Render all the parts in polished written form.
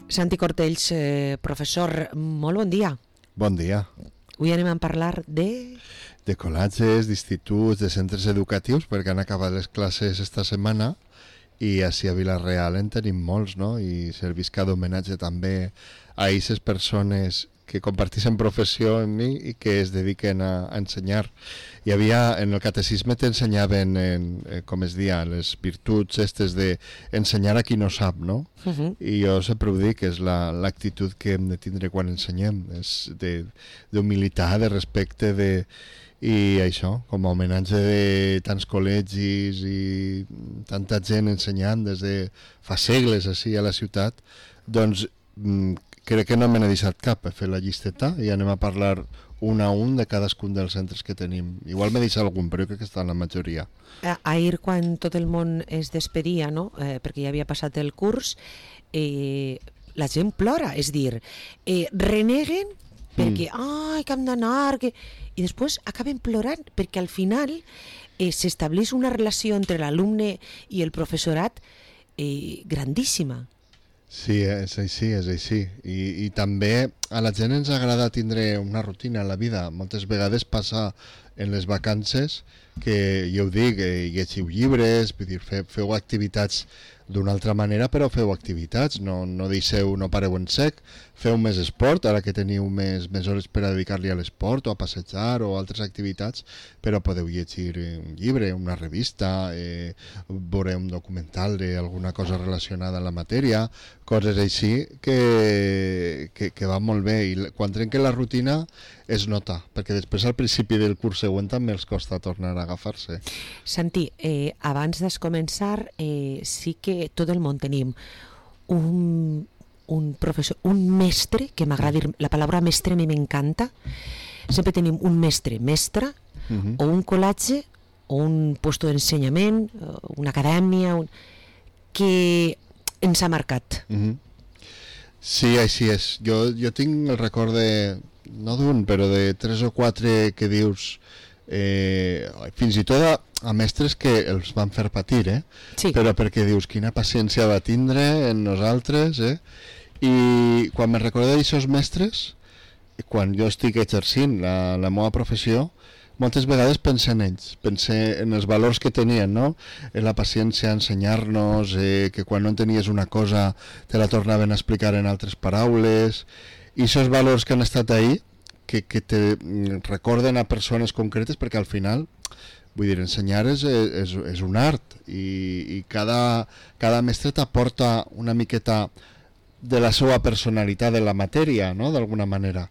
Santi Cortells, professor, molt bon dia. Bon dia. Avui anem a parlar de col·legis, d'instituts, de centres educatius, perquè han acabat les classes esta setmana i així a Vila-real en tenim molts, no? I servisca d'homenatge també a aquestes persones que comparteixen professió amb mi i que es dediquen a ensenyar. Hi havia, en el catecisme t'ensenyaven, com es dia, les virtuts estes d'ensenyar a qui no sap, no? I jo sempre ho dic, és l'actitud que hem de tindre quan ensenyem, és d'humilitat, de respecte, i això, com a homenatge de tants col·legis i tanta gent ensenyant des de fa segles així a la ciutat, doncs crec que no me n'he deixat cap. He fet la llisteta i anem a parlar un a un de cadascun dels centres que tenim. Igual m'he deixat algun, però jo crec que està en la majoria. Ahir, quan tot el món es despedia, no? Perquè ja havia passat el curs, la gent plora, és dir, reneguen perquè, que hem d'anar, i després acaben plorant, perquè al final s'estableix una relació entre l'alumne i el professorat grandíssima. Sí, és així, és així. I també a la gent ens agrada tindre una rutina a la vida. Moltes vegades passa en les vacances que, jo ho dic, llegiu llibres, vull dir, feu activitats d'una altra manera, però feu activitats, no deixeu, no pareu en sec, feu més esport, ara que teniu més hores per a dedicar-li a l'esport o a passejar o altres activitats, però podeu llegir un llibre, una revista, veure un documental d'alguna cosa relacionada amb la matèria, coses així que va molt bé, i quan trenquen la rutina es nota, perquè després al principi del curs següent també els costa tornar a agafar-se. Santi, abans de començar, sí que tot el món tenim un professor, un mestre, que m'agrada dir, la paraula mestre a mi m'encanta, sempre tenim un mestre, o un col·legi, o un puesto d'ensenyament, una acadèmia, que ens ha marcat. Sí, així és. Jo tinc el record no d'un, però de 3 o 4 que dius, fins i tot a mestres que els van fer patir, sí. Però perquè dius quina paciència va tindre en nosaltres, i quan me recordo d'aixòs mestres, quan jo estic exercint la meva professió, moltes vegades pense en ells, pense en els valors que tenien, no? En la paciència, ensenyar-nos, que quan no entenies una cosa te la tornaven a explicar en altres paraules, i aquests valors que han estat ahí, que te recorden a persones concretes, perquè al final, vull dir, ensenyar és un art, i cada mestre t'aporta una miqueta de la seva personalitat de la matèria, no?, d'alguna manera.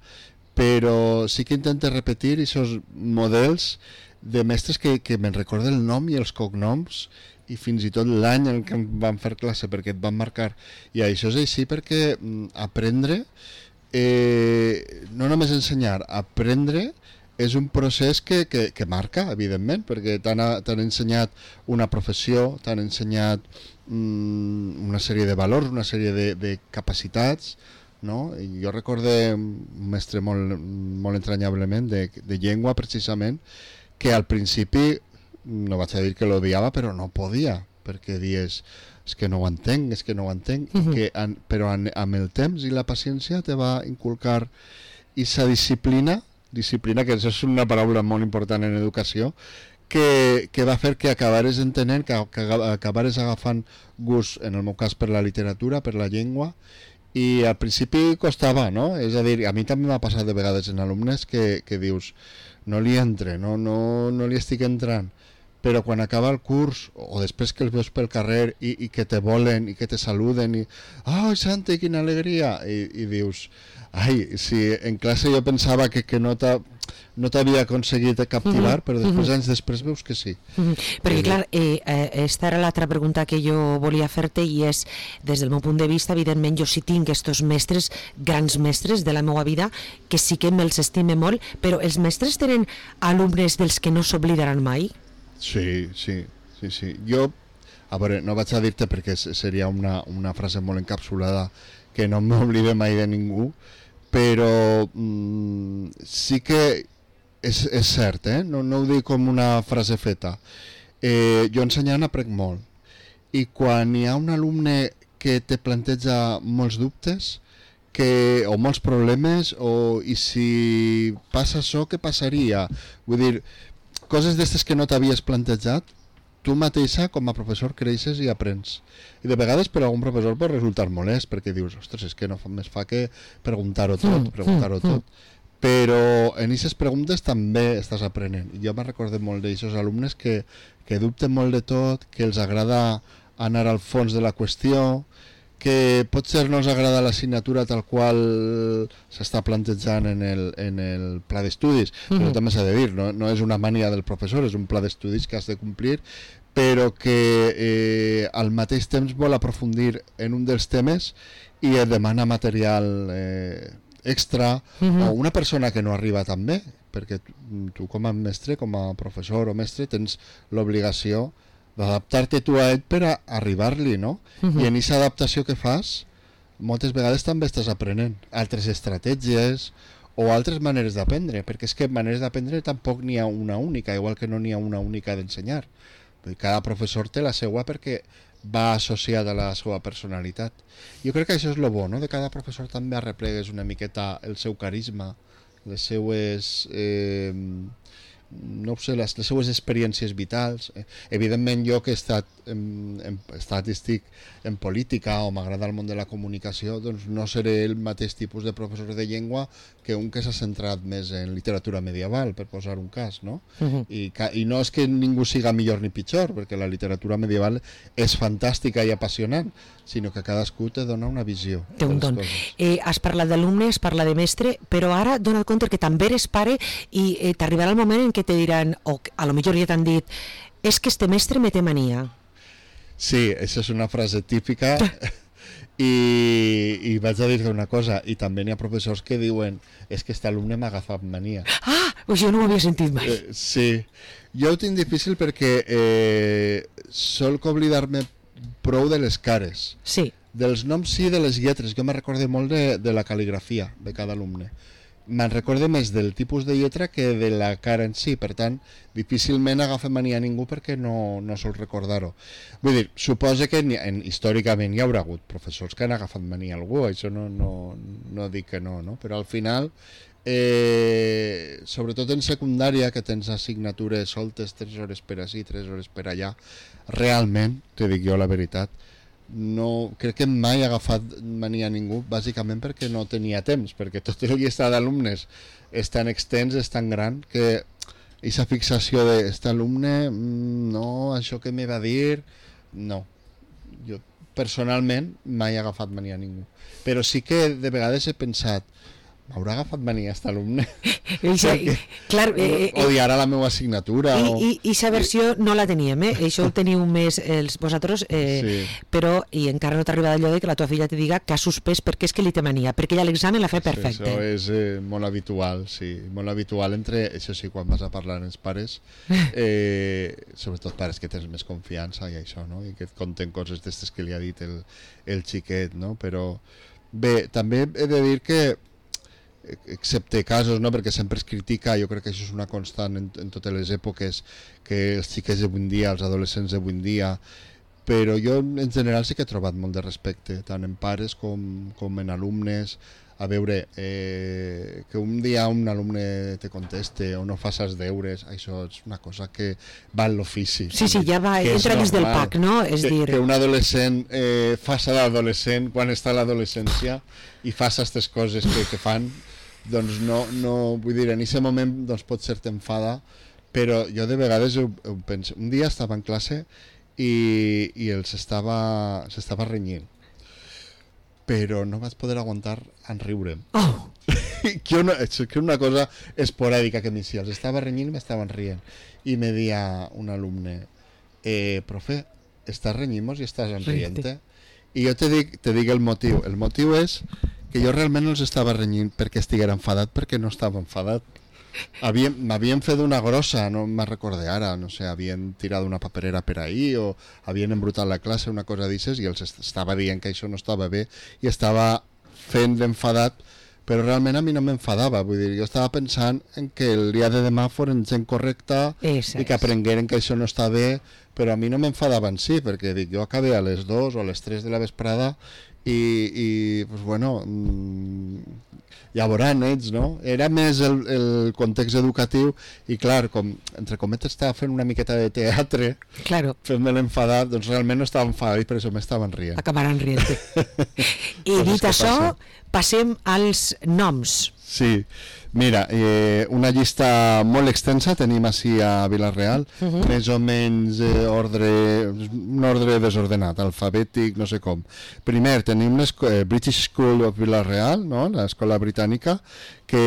Però sí que intento repetir aquests models de mestres que me'n recorden el nom i els cognoms i fins i tot l'any en què em van fer classe, perquè et van marcar. I això és així perquè aprendre, no només ensenyar, aprendre és un procés que marca, evidentment, perquè t'han ensenyat una professió, t'han ensenyat una sèrie de valors, una sèrie de capacitats, no? I jo recordo un mestre molt entranyablement de llengua, precisament, que al principi, no vaig a dir que l'odiava, però no podia, perquè dies, és que no ho entenc, però amb el temps i la paciència te va inculcar aquesta disciplina, que és una paraula molt important en educació, que va fer que acabares entenent, que acabares agafant gust, en el meu cas, per la literatura, per la llengua, i al principi costava, no? És a dir, a mi també m'ha passat de vegades en alumnes que dius, no li entre, no li estic entrant, però quan acaba el curs, o després que els veus pel carrer i que te volen i que te saluden, i Santi, quina alegria, i dius, si en classe jo pensava que no t'havia aconseguit captivar, però després, anys després, veus que sí. Perquè, clar, esta era l'altra pregunta que jo volia fer-te, i és, des del meu punt de vista, evidentment, jo sí tinc estos mestres, grans mestres de la meva vida, que sí que me'ls estime molt, però els mestres tenen alumnes dels que no s'oblidaran mai? Sí. Jo, a veure, no vaig a dir-te perquè seria una frase molt encapsulada, que no m'oblide mai de ningú, però sí que és cert, no ho dic com una frase feta. Jo ensenyant aprenc molt, i quan hi ha un alumne que te planteja molts dubtes o molts problemes, i si passa això, què passaria? Vull dir, coses d'aquestes que no t'havies plantejat, tu mateixa com a professor creixes i aprens. I de vegades per algun professor pot resultar molest, perquè dius, ostres, és que no més fa que preguntar-ho tot. Però en aquestes preguntes també estàs aprenent. Jo me recordo molt d'aixòs alumnes que dubten molt de tot, que els agrada anar al fons de la qüestió, que potser no els agrada l'assignatura tal qual s'està plantejant en el pla d'estudis, però també s'ha de dir, no és una mania del professor, és un pla d'estudis que has de complir, però que al mateix temps vol aprofundir en un dels temes i et demana material extra, o una persona que no arriba tan bé, perquè tu com a mestre, com a professor o mestre, tens l'obligació d'adaptar-te tu a ell per a arribar-li, no? I en aquesta adaptació que fas, moltes vegades també estàs aprenent altres estratègies o altres maneres d'aprendre, perquè és que maneres d'aprendre tampoc n'hi ha una única, igual que no n'hi ha una única d'ensenyar. Cada professor té la seva perquè va associada a la seva personalitat. Jo crec que això és el bo, no? De cada professor també arreplegues una miqueta el seu carisma, les seues no ho sé, les seues experiències vitals. Evidentment jo que he estat estic en política o m'agrada el món de la comunicació, doncs no seré el mateix tipus de professor de llengua que un que s'ha centrat més en literatura medieval, per posar un cas, no? I no és que ningú siga millor ni pitjor, perquè la literatura medieval és fantàstica i apassionant, sinó que cadascú te dona una visió. Té un don. Has parlat d'alumne, has parlat de mestre, però ara dona el compte que també eres pare i t'arribarà el moment en què te diran, o a lo millor ja t'han dit, és que este mestre me té mania. Sí, això és una frase típica i vaig a dir-te una cosa, i també n'hi ha professors que diuen, és que este alumne m'ha agafat mania. Ah, pues jo no ho havia sentit mai. Sí, jo ho tinc difícil perquè solc oblidar-me prou de les cares. Sí. Dels noms sí, de les lletres. Jo me recorde molt de la cal·ligrafia de cada alumne. Me'n recorde més del tipus de lletra que de la cara en si, per tant, difícilment agafa mania a ningú perquè no sol recordar-ho. Vull dir, suposa que històricament hi haurà hagut professors que han agafat mania a algú, això no dic que no, però al final, sobretot en secundària, que tens assignatures soltes 3 hores per ací, 3 hores per allà, realment, te dic jo la veritat, no, crec que mai ha agafat mania a ningú, bàsicament perquè no tenia temps, perquè tot el llistat d'alumnes és tan extens, és tan gran, que aquesta fixació d'este alumne, no, això que me va dir, no. Jo personalment mai he agafat mania a ningú, però sí que de vegades he pensat, m'haurà agafat mania aquest alumne? Clar, odiarà la meva assignatura. I aquesta versió no la teníem, això ho teniu més vosaltres, sí. però i encara no t'ha arribat allò de que la teva filla te diga que ha suspès perquè és que li té mania, perquè ella l'examen l'ha fet perfecte. Sí, això és molt habitual, sí, molt habitual entre, això sí, quan vas a parlar amb els pares, sobretot pares que tens més confiança i això, no? I que et conten coses d'aquestes que li ha dit el xiquet, no? Però bé, també he de dir que excepte casos, no? Perquè sempre es critica, jo crec que això és una constant en totes les èpoques, que els xiquets d'avui en dia, els adolescents d'avui en dia, però jo en general sí que he trobat molt de respecte, tant en pares com en alumnes. A veure, que un dia un alumne te conteste o no fas els deures, això és una cosa que va en l'ofici. Sí, ja va, entra dins del PAC, no? És dir... Que un adolescent faça d'adolescent quan està a l'adolescència i faça aquestes coses que fan, doncs no, vull dir, en aquest moment doncs pot ser t'enfada, però jo de vegades ho penso. Un dia estava en classe i s'estava renyint, però no vaig poder aguantar en riure'm. Oh. Que una cosa esporàdica que m'hi els estava renyint i m'estaven rient. I me deia un alumne, profe, estàs renyint-nos i estàs enrient-te? I jo te dic el motiu. El motiu és que jo realment no els estava renyint perquè estiguera enfadat, perquè no estava enfadat. M'havien fet una grossa, no me'n recorde ara, no sé, havien tirat una paperera per ahí o havien embrutat la classe, una cosa d'aixes, i els estava dient que això no estava bé i estava fent l'enfadat però realment a mi no m'enfadava, vull dir, jo estava pensant en que el dia de demà foren gent correcta i que aprengueren que això no està bé, però a mi no m'enfadava en si, perquè dic, jo acabé a les 2 o a les 3 de la vesprada i pues bueno, ja veuran ells, no? Era més el context educatiu i clar, com entre cometes estava fent una miqueta de teatre, claro, fent-me l'enfadat, doncs realment no estava enfadat i per això m'estaven rient. Acabaran rient. I dit això, passem als noms. Sí, mira, una llista molt extensa tenim així a Vila-real, més o menys un ordre desordenat, alfabètic, no sé com. Primer tenim British School of Vila-real, no? L'escola britànica, que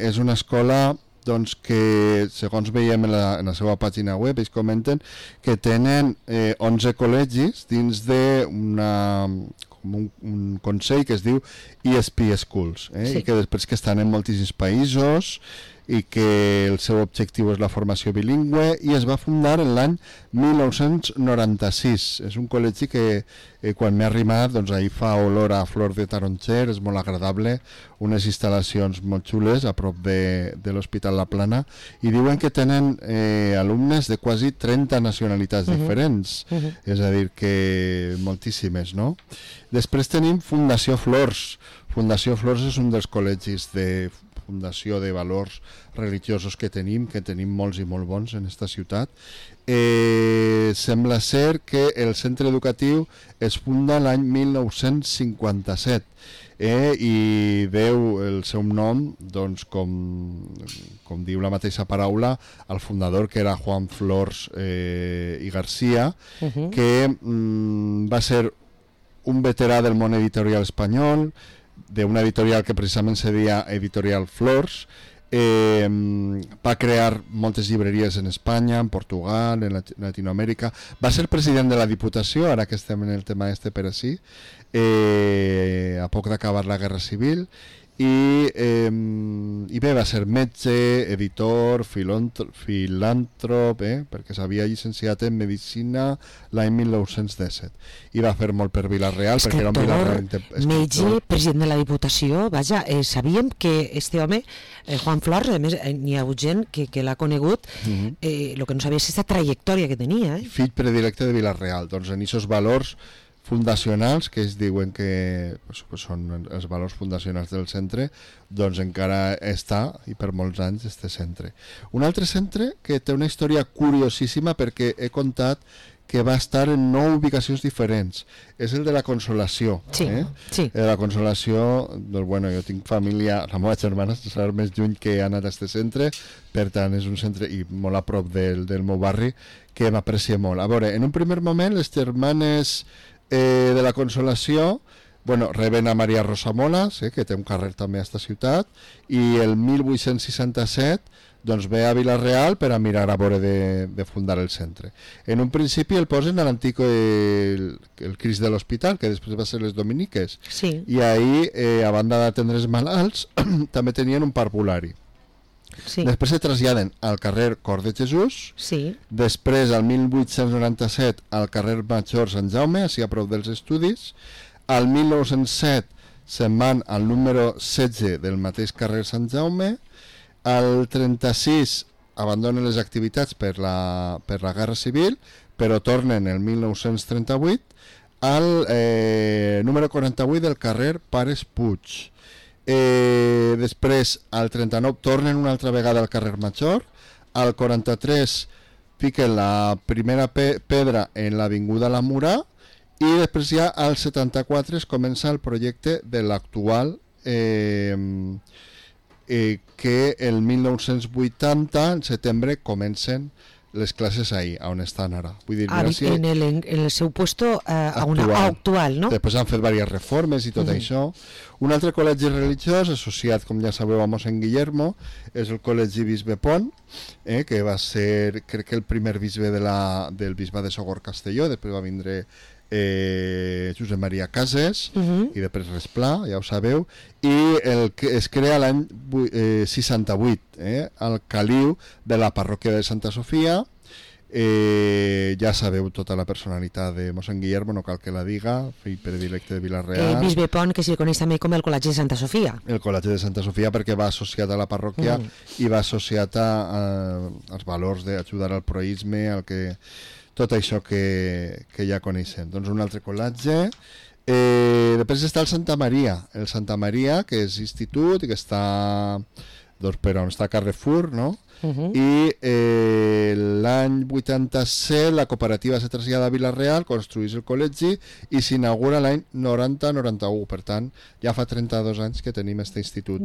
és una escola doncs, que, segons veiem en la seva pàgina web, ells comenten que tenen 11 col·legis dins un consell que es diu ESP Schools, sí. I que després que estan en moltíssims països i que el seu objectiu és la formació bilingüe i es va fundar en l'any 1996. És un col·legi que quan m'he arrimat, doncs ahir fa olor a flor de taronger, és molt agradable, unes instal·lacions molt xules a prop de l'Hospital La Plana i diuen que tenen alumnes de quasi 30 nacionalitats diferents, és a dir que moltíssimes, no? Després tenim Fundació Flors. Fundació Flors és un dels col·legis de fundació de valors religiosos que tenim molts i molt bons en esta ciutat. Sembla ser que el centre educatiu es funda l'any 1957 i deu el seu nom, doncs, com diu la mateixa paraula, al fundador, que era Juan Flors i García, que va ser un veterà del món editorial espanyol, d'una editorial que precisament se deia Editorial Flors. Va crear moltes llibreries en Espanya, en Portugal, en Latinoamèrica. Va ser president de la Diputació, ara que estem en el tema per així, a poc d'acabar la Guerra Civil. I bé, va ser metge, editor, filàntrop, perquè s'havia llicenciat en Medicina l'any 1917 i va fer molt per Vila-real, perquè era un Vila-real metge, president de la Diputació. Vaja, sabíem que este home, Juan Flors, a més n'hi ha hagut gent que l'ha conegut, el que no sabia és aquesta trajectòria que tenia. Fill predilecte de Vila-real, doncs en aquests valors fundacionals, que es diuen que són els valors fundacionals del centre, doncs encara està, i per molts anys, este centre. Un altre centre que té una història curiosíssima, perquè he contat que va estar en 9 ubicacions diferents. És el de la Consolació. Sí. La Consolació, doncs bueno, jo tinc família, la meva germana està més lluny que ha anat a este centre, per tant és un centre i molt a prop del meu barri, que m'aprecia molt. A veure, en un primer moment, les germanes de la Consolació, bueno, reben a Maria Rosa Molas, que té un carrer també a esta ciutat, i el 1867 doncs ve a Vila-real per a mirar a veure de fundar el centre. En un principi el posen a l'antic el Crist de l'Hospital, que després va ser les Dominiques, sí. I ahir, a banda d'atendre els malalts, també tenien un parvulari. Sí. Després se traslladen al carrer Cor de Jesús, sí. Després al 1897 al carrer Major Sant Jaume, així a prop dels estudis, al 1907 se'n van al número 16 del mateix carrer Sant Jaume, al 36 abandonen les activitats per la Guerra Civil, però tornen el 1938 al número 48 del carrer Pares Puig. Després al 39 tornen una altra vegada al carrer Major, al 43 fiquen la primera pedra en l'avinguda La Murà i després ja al 74 es comença el projecte de l'actual que el 1980 en setembre comencen les classes ahí, on estan ara. Vull dir, en el seu puesto actual, no? Després han fet diverses reformes i tot això. Un altre col·legi religiós associat, com ja sabeu, a mossèn Guillermo, és el col·legi Bisbe Pont, que va ser, crec que el primer bisbe del bisbe de Sogorb Castelló, després va vindre Josep Maria Cases i després Resplà, ja ho sabeu, i el que es crea l'any 68 al caliu de la parròquia de Santa Sofia, Ja sabeu tota la personalitat de mossèn Guillermo, no cal que la diga, fill predilecte de Vila-real. Bisbe Pont, que s'hi coneix també com el Col·legi de Santa Sofia. El Col·legi de Santa Sofia, perquè va associat a la parròquia i va associat als valors d'ajudar al proïsme, tot això que ja coneixem. Doncs un altre col·legi. Després està el Santa Maria, que és institut i que està per on està Carrefour, no? I l'any 87 la cooperativa se trasllada a Vila-real, construeix el col·legi i s'inaugura l'any 90-91, per tant ja fa 32 anys que tenim aquest institut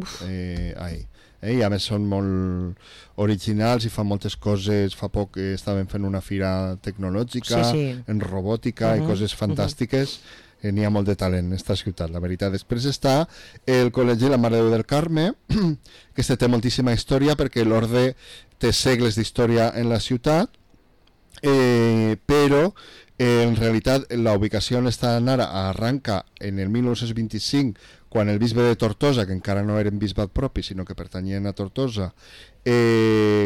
ahí. I a més són molt originals i fan moltes coses. Fa poc estaven fent una fira tecnològica en robòtica i coses fantàstiques. N'hi ha molt de talent en aquesta ciutat, la veritat. Després està el Col·legi La Mare de Déu del Carme, que té moltíssima història perquè l'orde té segles d'història en la ciutat, però en realitat la ubicació on estan ara arranca en el 1925, quan el bisbe de Tortosa, que encara no eren bisbat propi sinó que pertanyien a Tortosa,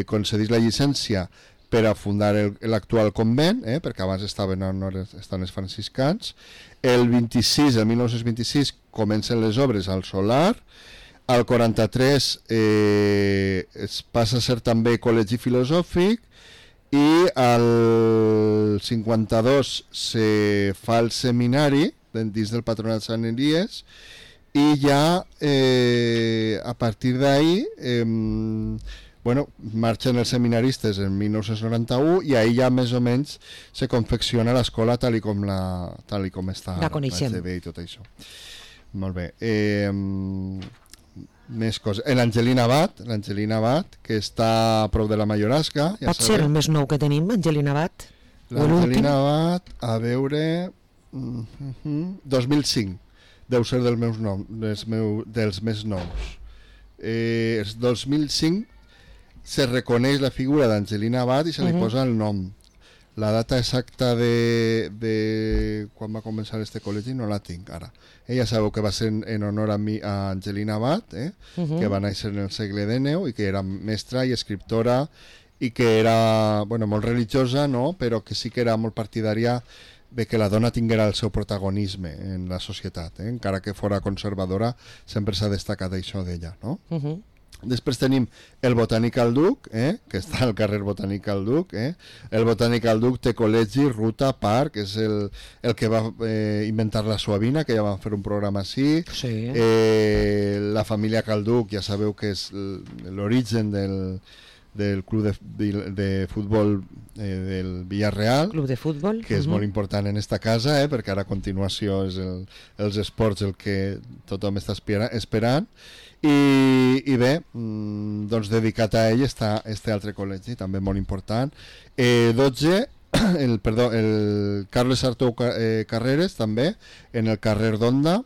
concedís la llicència per a fundar l'actual convent, perquè abans estaven els franciscans. El 1926 comencen les obres al Solar. Al 43 es passa a ser també col·legi filosòfic i al 52 se fa el seminari dins del Patronat Sant Elies i ja a partir d'ahí marxen els seminaristes en 1991 i ahir ja més o menys se confecciona l'escola tal i com està la coneixem i tot això. Molt bé. Més coses. L'Angelina Abat, que està a prop de la Mallorasca. Pot ser el més nou que tenim, Angelina Abat? L'Angelina Abat, a veure... 2005. Deu ser dels més nous. El 2005 se reconeix la figura d'Angelina Abat i se li posa el nom. La data exacta de quan va començar este col·legi no la tinc ara. Ja sabeu que va ser en honor a Angelina Abat, que va néixer en el segle XIX i que era mestra i escriptora i que era molt religiosa, no? Però que sí que era molt partidària de que la dona tinguera el seu protagonisme en la societat. Encara que fora conservadora, sempre s'ha destacat això d'ella, no? Després tenim el Botanical Duc, que està al carrer Botanical Duc. El Botanical Duc té col·legi, ruta, parc, és el que va inventar la Suavina, que ja van fer un programa així. Sí. La família Calduc, ja sabeu que és l'origen del club de futbol del Villarreal, club de futbol, que és molt important en esta casa, perquè ara a continuació és els esports el que tothom està esperant. I bé, doncs dedicat a ell està este altre col·legi, també molt important. 12, el Carles Sartou Carreres, també, en el carrer d'Onda,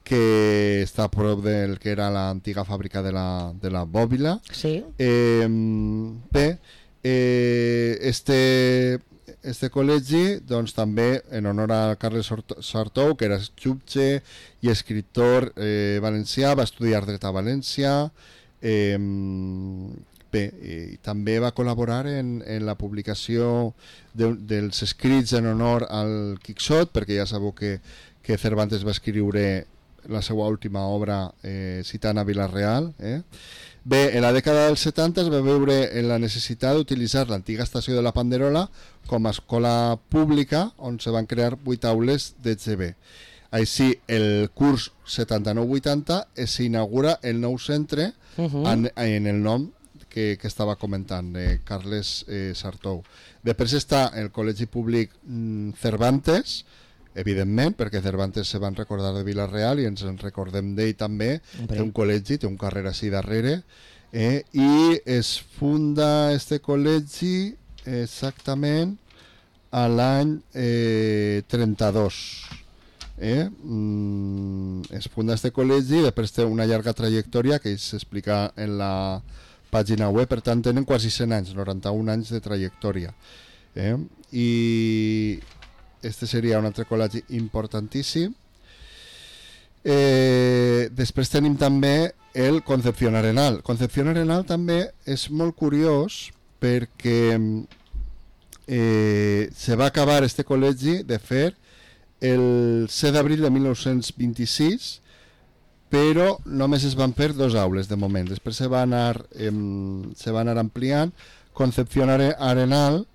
que està a prop del que era l'antiga fàbrica de la Bòbila. Sí. Bé, este col·legi doncs, també en honor a Carles Sartou, que era jutge i escriptor valencià, va estudiar dret a València. Bé, també va col·laborar en la publicació dels escrits en honor al Quixot, perquè ja sabeu que Cervantes va escriure la seva última obra citant a Vila-real. Bé, en la dècada dels 70 es va veure en la necessitat d'utilitzar l'antiga estació de la Panderola com a escola pública on se van crear 8 aules d'EGB. Així, el curs 79-80 s'inaugura el nou centre en el nom que estava comentant, de Carles Sartou. Després està el Col·legi Públic Cervantes, evidentment, perquè Cervantes se van recordar de Vila-real i ens en recordem d'ell també. Té un col·legi, té un carrer així darrere, i es funda este col·legi exactament a l'any 32. Es funda este col·legi, després té una llarga trajectòria que s'explica en la pàgina web, per tant tenen quasi 100 anys, 91 anys de trajectòria. I este seria un altre col·legi importantíssim. Després tenim també el Concepción Arenal. Concepción Arenal també és molt curiós perquè se va acabar este col·legi de fer el 7 d'abril de 1926, però només es van fer 2 aules de moment. Després se va anar ampliant. Concepción Arenal,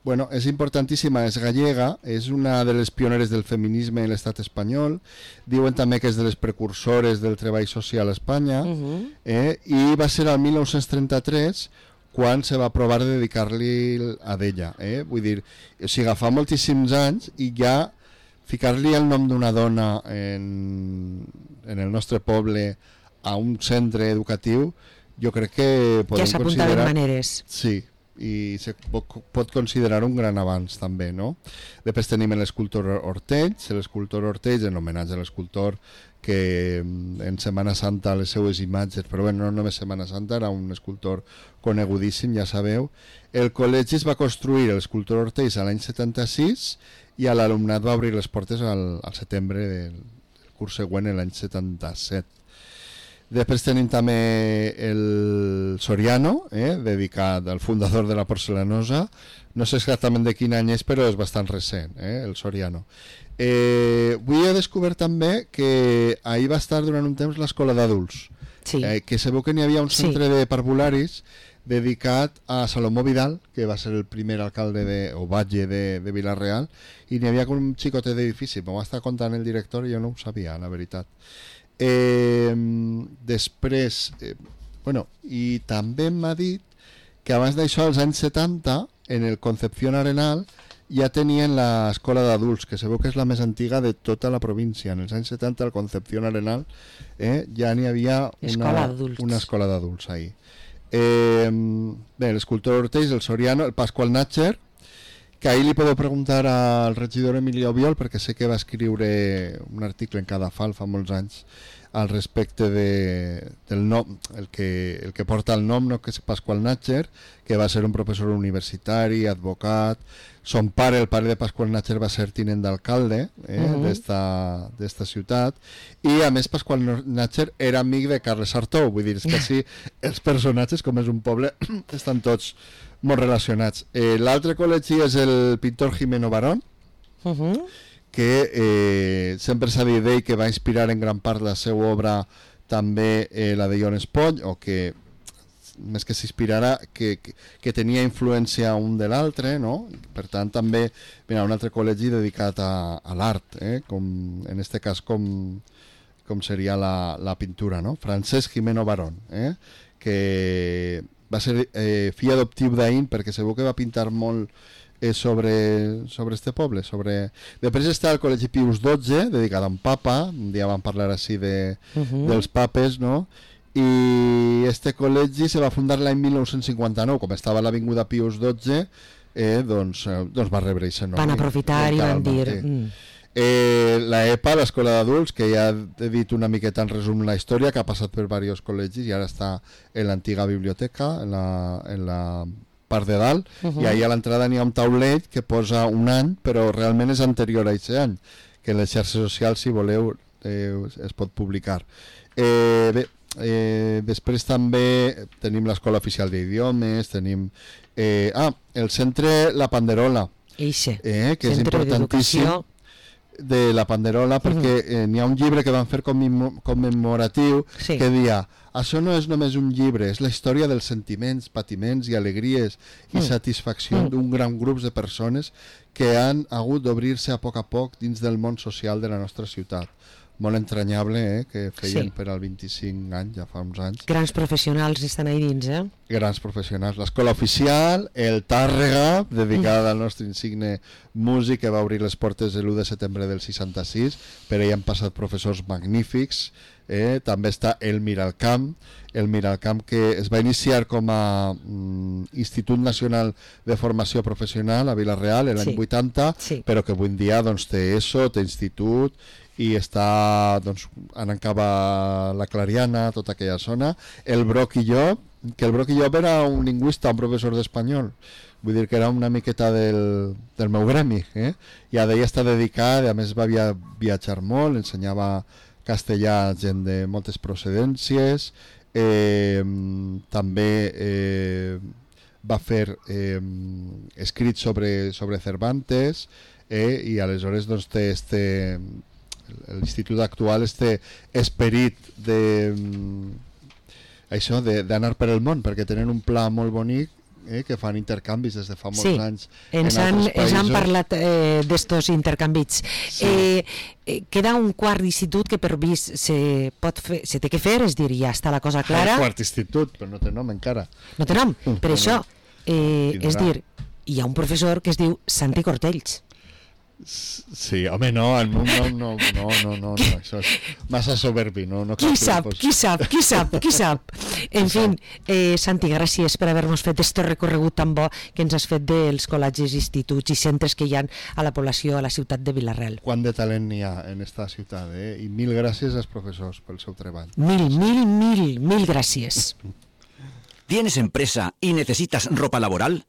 bueno, és importantíssima, és gallega, és una de les pioneres del feminisme en l'estat espanyol, diuen també que és de les precursores del treball social a Espanya, i va ser el 1933 quan se va provar de dedicar-li a d'ella, vull dir, o sigui, fa moltíssims anys, i ja ficar-li el nom d'una dona en el nostre poble a un centre educatiu, jo crec que podem ja s'apuntaven maneres. Sí, i se pot considerar un gran avanç també, no? Després tenim l'escultor Ortells, en homenatge a l'escultor que en Setmana Santa les seues imatges, però bueno, no només Setmana Santa, era un escultor conegudíssim, ja sabeu. El col·legi es va construir l'escultor Ortells a l'any 76 i l'alumnat va obrir les portes al setembre del curs següent, l'any 77. Després tenim també el Soriano, dedicat al fundador de la porcelanosa. No sé exactament de quin any és, però és bastant recent, el Soriano. Avui he descobert també que ahir va estar durant un temps l'escola d'adults, sí. Que sabeu que n'hi havia un centre de parvularis dedicat a Salomó Vidal, que va ser el primer alcalde o batlle de Vila-real, i n'hi havia com un xicotet d'edifici. M'ho va estar contant el director i jo no ho sabia, la veritat. Després bueno, i també m'ha dit que abans d'això, als anys 70, en el Concepción Arenal ja tenien l'escola d'adults, que sabeu que és la més antiga de tota la província. En els anys 70 al Concepción Arenal ja n'hi havia una escola d'adults ahí. Bé, l'escultor Ortells, el Soriano, el Pasqual Natcher, que ahir li podeu preguntar al regidor Emilio Biol, perquè sé que va escriure un article en Cadafal fa molts anys al respecte del nom, el que porta el nom, no, que és Pasqual Natcher, que va ser un professor universitari, advocat. Son pare, el pare de Pasqual Natcher, va ser tinent d'alcalde d'esta ciutat, i a més Pasqual Natcher era amic de Carles Sartou. Vull dir, és que sí, els personatges, com és un poble, estan tots molt relacionats. L'altre col·legi és el pintor Jimeno Barón, que sempre s'ha dit d'ell que va inspirar en gran part la seva obra també la de Jon Espoll, o que més que s'inspirara, que tenia influència un de l'altre, no? Per tant també, mira, un altre col·legi dedicat a l'art, com, en este cas com seria la pintura, no? Francesc Jimeno Barón, que va ser fill adoptiu d'Aín, perquè segur que va pintar molt sobre este poble. Després està el Col·legi Pius XII, dedicat a un papa. Un dia vam parlar així dels papes, no? I este col·legi se va fundar l'any 1959, com estava a l'avinguda Pius XII, doncs va rebre aquest nom. Van aprofitar i van dir... La EPA, l'escola d'adults, que ja he dit una miqueta en resum la història, que ha passat per diversos col·legis i ara està en l'antiga biblioteca, en la part de dalt, i ahir a l'entrada n'hi ha un taulet que posa un any, però realment és anterior a aquest any, que en les xarxes socials, si voleu, es pot publicar. Bé, després també tenim l'Escola Oficial d'Idiomes, tenim el centre La Panderola, que és importantíssim, de La Panderola, perquè n'hi ha un llibre que van fer commemoratiu que dia, això no és només un llibre, és la història dels sentiments, patiments i alegries i satisfacció d'un gran grup de persones que han hagut d'obrir-se a poc dins del món social de la nostra ciutat. Molt entranyable, que feien per al 25 anys, ja fa uns anys. Grans professionals estan ahí dins, Grans professionals. L'Escola Oficial, el Tàrrega, dedicada al nostre insigne músic, que va obrir les portes l'1 de setembre del 66, per ahí han passat professors magnífics. També està el Miralcamp, que es va iniciar com a Institut Nacional de Formació Professional a Vila-real l'any 80, però que avui en dia té ESO, té institut, i està anant cap a la Clariana, tota aquella zona. El Broc i Llop, que el Broc i Llop era un lingüista, un professor d'espanyol, vull dir que era una miqueta del meu gremi, i a d'ell està dedicat, a més va viatjar molt, ensenyava castellà a gent de moltes procedències, també va fer escrits sobre Cervantes, i aleshores doncs, té l'institut actual esperit això d'anar per el món, perquè tenen un pla molt bonic, que fan intercanvis des de fa molts anys ens han parlat d'estos intercanvis. Queda un quart d'institut que per vist se té que fer, és dir, ja està la cosa clara. El quart institut, però no té nom encara. No té nom, per això és dir, hi ha un professor que es diu Santi Cortells. Sí, home, no, això és massa soberbi, no. Qui sap. En fi, Santi, gràcies per haver-nos fet este recorregut tan bo que ens has fet dels col·legis, instituts i centres que hi ha a la població, a la ciutat de Vila-real. Quant de talent n'hi ha en esta ciutat, i mil gràcies als professors pel seu treball. Mil gràcies. ¿Tienes empresa y necesitas ropa laboral?